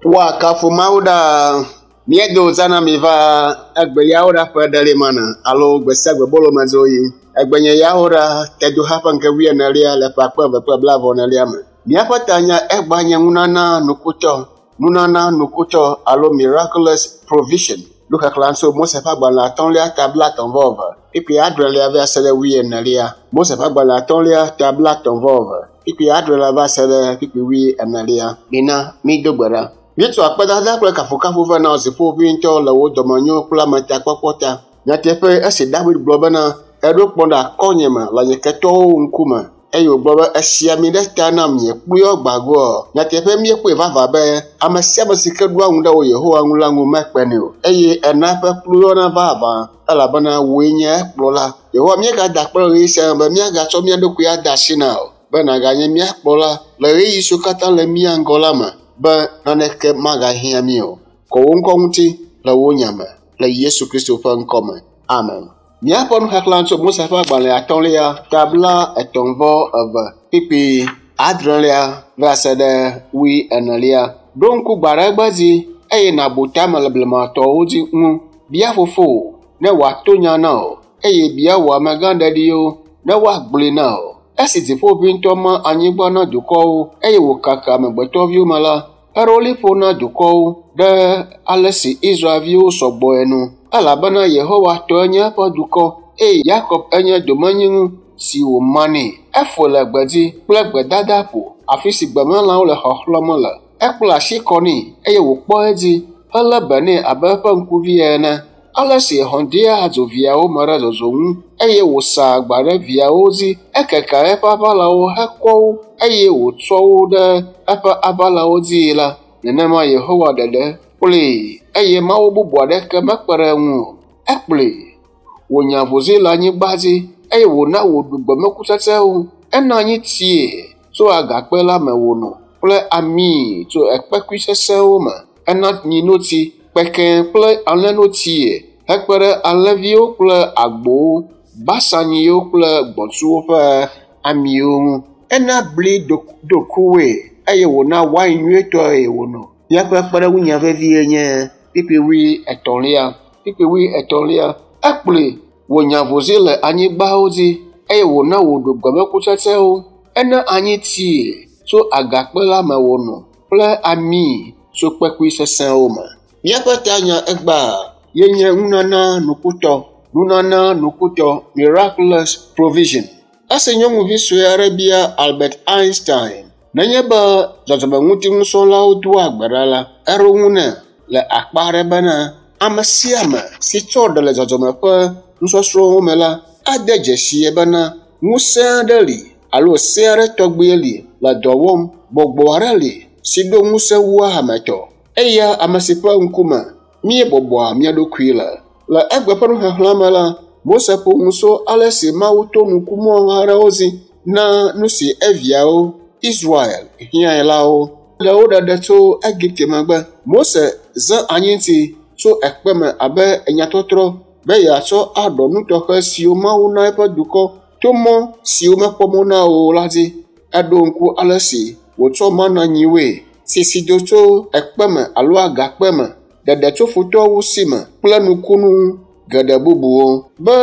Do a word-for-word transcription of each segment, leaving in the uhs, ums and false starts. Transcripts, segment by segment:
Woakafu Mawu ɖaa. Míedo zã mi va egbe yawo ɖa ƒe ɖelimana alo gbe sia gbe bolomedzo yi. Egbe nye yawo ɖa tedoha ƒe ŋke wuienelia le ƒe akpe eve kple blaeve enelia me. Míaƒe tanya egba nye nunana nukutɔ, nunana nukutɔ alo miraculous provision. Nuxexlẽ tso Mose ƒe agbalẽ atɔ̃lia ta blaetɔ̃ vɔ eve, kpukpui adrelia va se ɖe wuienelia. Mose ƒe agbalẽ atɔ̃lia ta blaetɔ̃ vɔ eve, kpukpui adrelia va se ɖe kpukpui wuienelia. Mina mído gbe ɖa. Míetsɔ akpedada kple kafukafu vɛ na dziƒoʋĩtɔ le wò dɔmenyo kple ametakpɔkpɔ ta. Nyateƒe esi David gblɔ bena eɖo kplɔ̃ ɖe akɔnye me le nye ketɔwo ŋkume eye wògblɔ be esi ami ɖe ta nam nye kpluyɔ gbagoa. Nyateƒe míekpɔe vavã be ame sia ame si ke ɖoa ŋu ɖe wò Yehowa ŋu la ŋu mekpenɛ o eye ena eƒe kpluyɔna vavã elabena wòe nye ekplɔla. Yehowa míegada akpe le ɣeyiɣi sia me be míagatsɔ mía ɖokui ade asi na o be nàganye mía kplɔla le ɣeyiɣi siwo katã le mía ŋgɔ la me be naneke magahiã mí o. Kɔ wò ŋkɔ ŋuti le wò nya me le Yesu Kristo ƒe ŋkɔ me. Amen. Míaƒe nuxexlẽ tso Mose ƒe agbalẽ atɔ̃lia ta blaetɔ̃ vɔ eve kpukpui adrelia va se ɖe wuienelia. Ɖo ŋku gbe aɖe gbe dzi eye nàbu tame le blematɔwo dzi ŋu. Bia fofowò ne wòato nya na wò eye bia wò amegãɖeɖiwo ne woagblɔe na wò. Esi dziƒoʋĩtɔ ma anyigba na dukɔwo eye wòkaka amegbetɔviwo me la, eɖo liƒo na dukɔwo ɖe ale si Israelviwo sɔgbɔe nu. Elabena Yehowa tɔe nye eƒe dukɔ eye Yakob enye domenyinu si wòma nɛ. Eƒoe le gbedzi kple gbedadaƒo, afi si gbemelãwo le xɔxlɔ̃m le. Ekpla asi kɔ nɛ eye wòkpɔ edzi helé be nɛ abe eƒe ŋkuvi ene. Ale si hɔ̃ dea dzo viawo me ɖe zɔzɔ ŋu eye wòsaa agba ɖe viawo dzi. Ekeke eƒe aʋalawo hekɔ wo eye wòtsɔ wo ɖe eƒe aʋalawo dzii la, nenema Yehowa ɖeɖe kplɔe eye Mawu bubu aɖeke mekpe ɖe eŋu o. Ekplɔe wònya avuzi le anyigba dzi eye wòna wòɖu gbemekutsetsewo. Ena anyi tie tso agakpe la me wòno kple ami tso ekpekui sesẽwo me. Ena nyinotsi, kpekẽ kple alẽnotsie hekpe ɖe alẽviwo kple agbowo, basanyiwo kple gbɔ̃tsuwo ƒe amiwo ŋu. Ena bli dokuwoe eye wòna wain nyuietɔe wòno. Míaƒe kpeɖeŋunya vevie nye kpukpui wuietɔ̃lia. Kpukpui wuietɔ̃lia. Ekplɔe wònya avuzi le anyigbawo dzi eye wòna wòɖu gbemekutsetsewo. Ena anyi tie tso agakpe la me wòno kple ami tso kpekui sesẽwo me. Míaƒe tanya egbea ye nye nunana nukutɔ, nunana nukutɔ, miraculous provision. Esi nyɔnuvi sue aɖe bia Albert Einstein nenye be dzɔdzɔmeŋutinusrɔ̃lawo doa gbe ɖa la, eɖo ŋu nɛ le akpa aɖe bena ame sia ame si tsɔ ɖe le dzɔdzɔme ƒe nusɔsrɔ̃wo me la ade dzesie bena ŋusẽ aɖe li alo se aɖe tɔgbi li le dɔ wɔm. Gbɔgbɔ aɖe li si ɖo ŋusẽ wu ametɔ. Eya ame si ƒe ŋkume míebɔbɔa mía ɖokui le. Le egbe ƒe nuxexlẽ me la, Mose ƒo nu tso ale si Mawu to nukumɔ aɖewo dzi na nu si eviawo Israel hiãe la wo. Le wo ɖeɖe tso Egipte megbe, Mose zã anyitsi tso ekpe me abe enyatɔtrɔ be yeatsɔ aɖɔ nu tɔxɛ siwo Mawu na eƒe dukɔ to mɔ siwo mekpɔ mɔ na o la dzi. Eɖo ŋku ale si wòtsɔ mana nyiwoe, sisi do tso ekpe me alo agakpe me, ɖeɖe tso futɔwo si me kple nukunu geɖe bubuwo. Be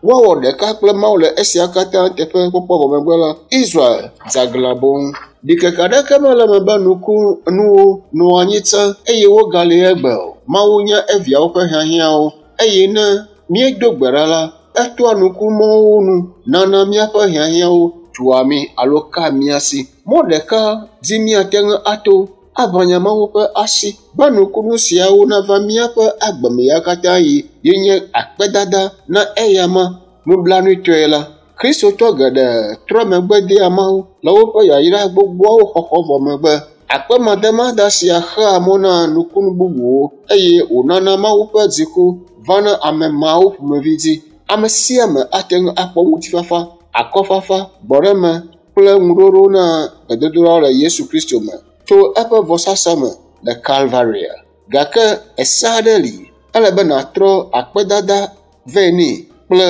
woawɔ ɖeka kple Mawu le esia katã teƒe kpɔkpɔ vɔ megbe la, Israel dze aglã boŋ. Ɖikeke aɖeke mele eme be nukunuwo nɔ anyi tsã eye wogali egbe o. Mawu nya eviawo ƒe hiahiãwo eye ne míedo gbe ɖa la, etoa nukumɔwo nu nana míaƒe hiahiãwo tua mí alo ka mía si. Mɔ ɖeka dzi míate ŋu ato aʋanya Mawu ƒe asi be nukunu siawo nava míaƒe agbeme ya katã yi ye nye akpedada na eyama. Nublanuitɔe la, Kristotɔ geɖe trɔ megbe dea Mawu le woƒe yayra gbogboawo xɔxɔ vɔ megbe. Akpemademada sia xea mɔ na nukunu bubuwo eye wònana Mawu ƒe dziku vana ame mawo ƒomevi dzi. Ame sia ame ate ŋu akpɔ ŋutifafa, akɔfafa, gbɔɖeme kple ŋuɖoɖo na gbedodoɖa le Yesu Kristo me tso eƒe vɔsasa me le Kalvaria. Gake ese aɖe li ele be nàtrɔ akpedada vɛ nɛ kple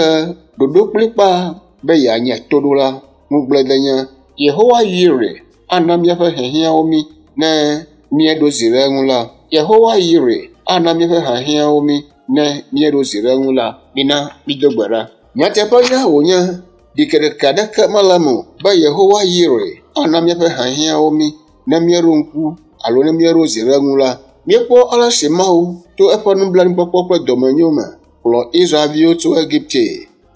ɖoɖo kplikpaa be yeanye toɖola. Ŋugbledenya Yehowa Yire ana míaƒe hiahiãwo mí ne míeɖo zi ɖe eŋu la. Yehowa Yire ana míaƒe hiahiãwo mí ne míeɖo zi ɖe eŋu la. Mina mído gbe ɖa. Nyateƒe nya wònye ɖikereke aɖeke mele eme o be Yehowa Yire ana míaƒe hiahiãwo mí ne míeɖo ŋku alo ne míeɖo zi ɖe eŋu la. Míekpɔ ale si Mawu to eƒe nublanuikpɔkpɔ kple dɔmenyo me kplɔ Israelviwo tso Egipte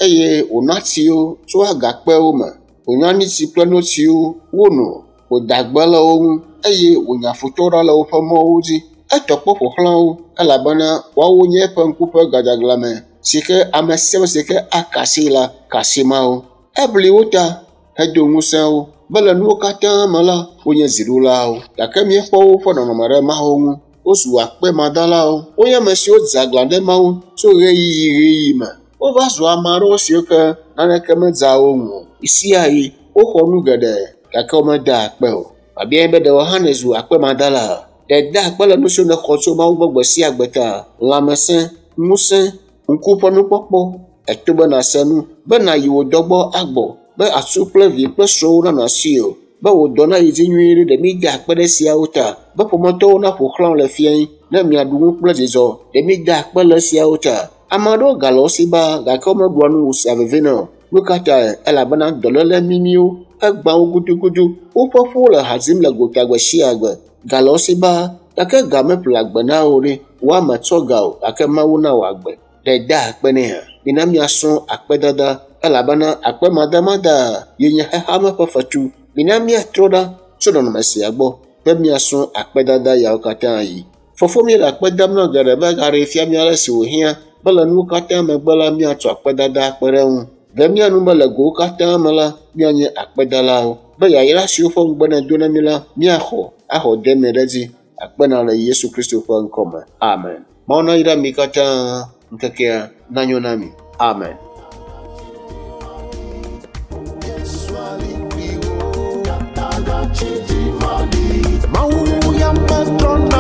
eye wòna tsi wo tso agakpewo me, wòna anyitsi kple notsi wono, wòda gbe le wo ŋu eye wònya futɔwo ɖa le woƒe mɔwo dzi. Etɔ kpɔ ƒo xlã wo elabena woawo nye eƒe ŋku ƒe gadzaglame si ke ame sia ame si ke aka asi la ka asi Mawu. Ebli wo ta hedo ŋusẽ wo be le nuwo katã me la wonye ziɖulawo gake míekpɔ woƒe nɔnɔme ɖe Mawu ŋu. Wozu akpemadalawo. Wonye ame siwo dze aglã ɖe Mawu tso ɣeyiɣi ɣeyiɣi me. Wova zu ame aɖewo siwo ke naneke medzea wo ŋu o. Ɣesiaɣi woxɔ nu geɖe gake womeda akpe o. Biabiae be ɖe wò hã nèzu akpemadala? Ɖe èda akpe le nu siwo nèxɔ tso Mawu gbɔ gbe sia gbe ta? Lãmesẽ, ŋusẽ, ŋku ƒe nukpɔkpɔ, eto be nàse nu, be nàyi wò dɔ gbɔ agbɔ, be atsu kple vi kple srɔ̃wo nanɔ asiwò, be wò dɔ nayi dzi nyuie ɖe, ɖe mída akpe ɖe esiawo ta? Be ƒometɔwo naƒo xlã wò le fiẽ ne miaɖu nu kple dzidzɔ, ɖe mída akpe le esiawo ta? Ame aɖewo gale wo si baa gake womeɖua nu wòsea veve na o. Nu ka tae? Elabena dɔléle mimiwo egbã wo gudugudu. Woƒe ƒuwo le ha dzim le gota gbe sia gbe. Ga le wo si baa gake ga meƒle agbe na wo ɖe. Woame tsɔ ga o gake Mawu na wò agbe. Ɖe èda akpe nɛ hã? Mina míasrɔ̃ akpedada elabena akpemadamada ye nye xexeame ƒe fetu. Mina míatrɔ ɖa tso nɔnɔme sia gbɔ be míasrɔ̃ akpedada yawo katã yi. Fofo míele akpe dam na geɖe be egaɖee fia mí ale si wòhiã be le nuwo katã megbe la míatsɔ akpedada akpe ɖe eŋu. Ɖe mía nu be le gowo katã me la míanye akpedalawo be yayra siwo ƒe ŋugbe nèdo na mí la míaxɔ axɔ deme ɖe edzi. Akpe na le Yesu Kristo ƒe ŋkɔme. Amen. Mawu nayra mi katã ŋkekea nanyo na mi. Amen. Mawu ya metrɔna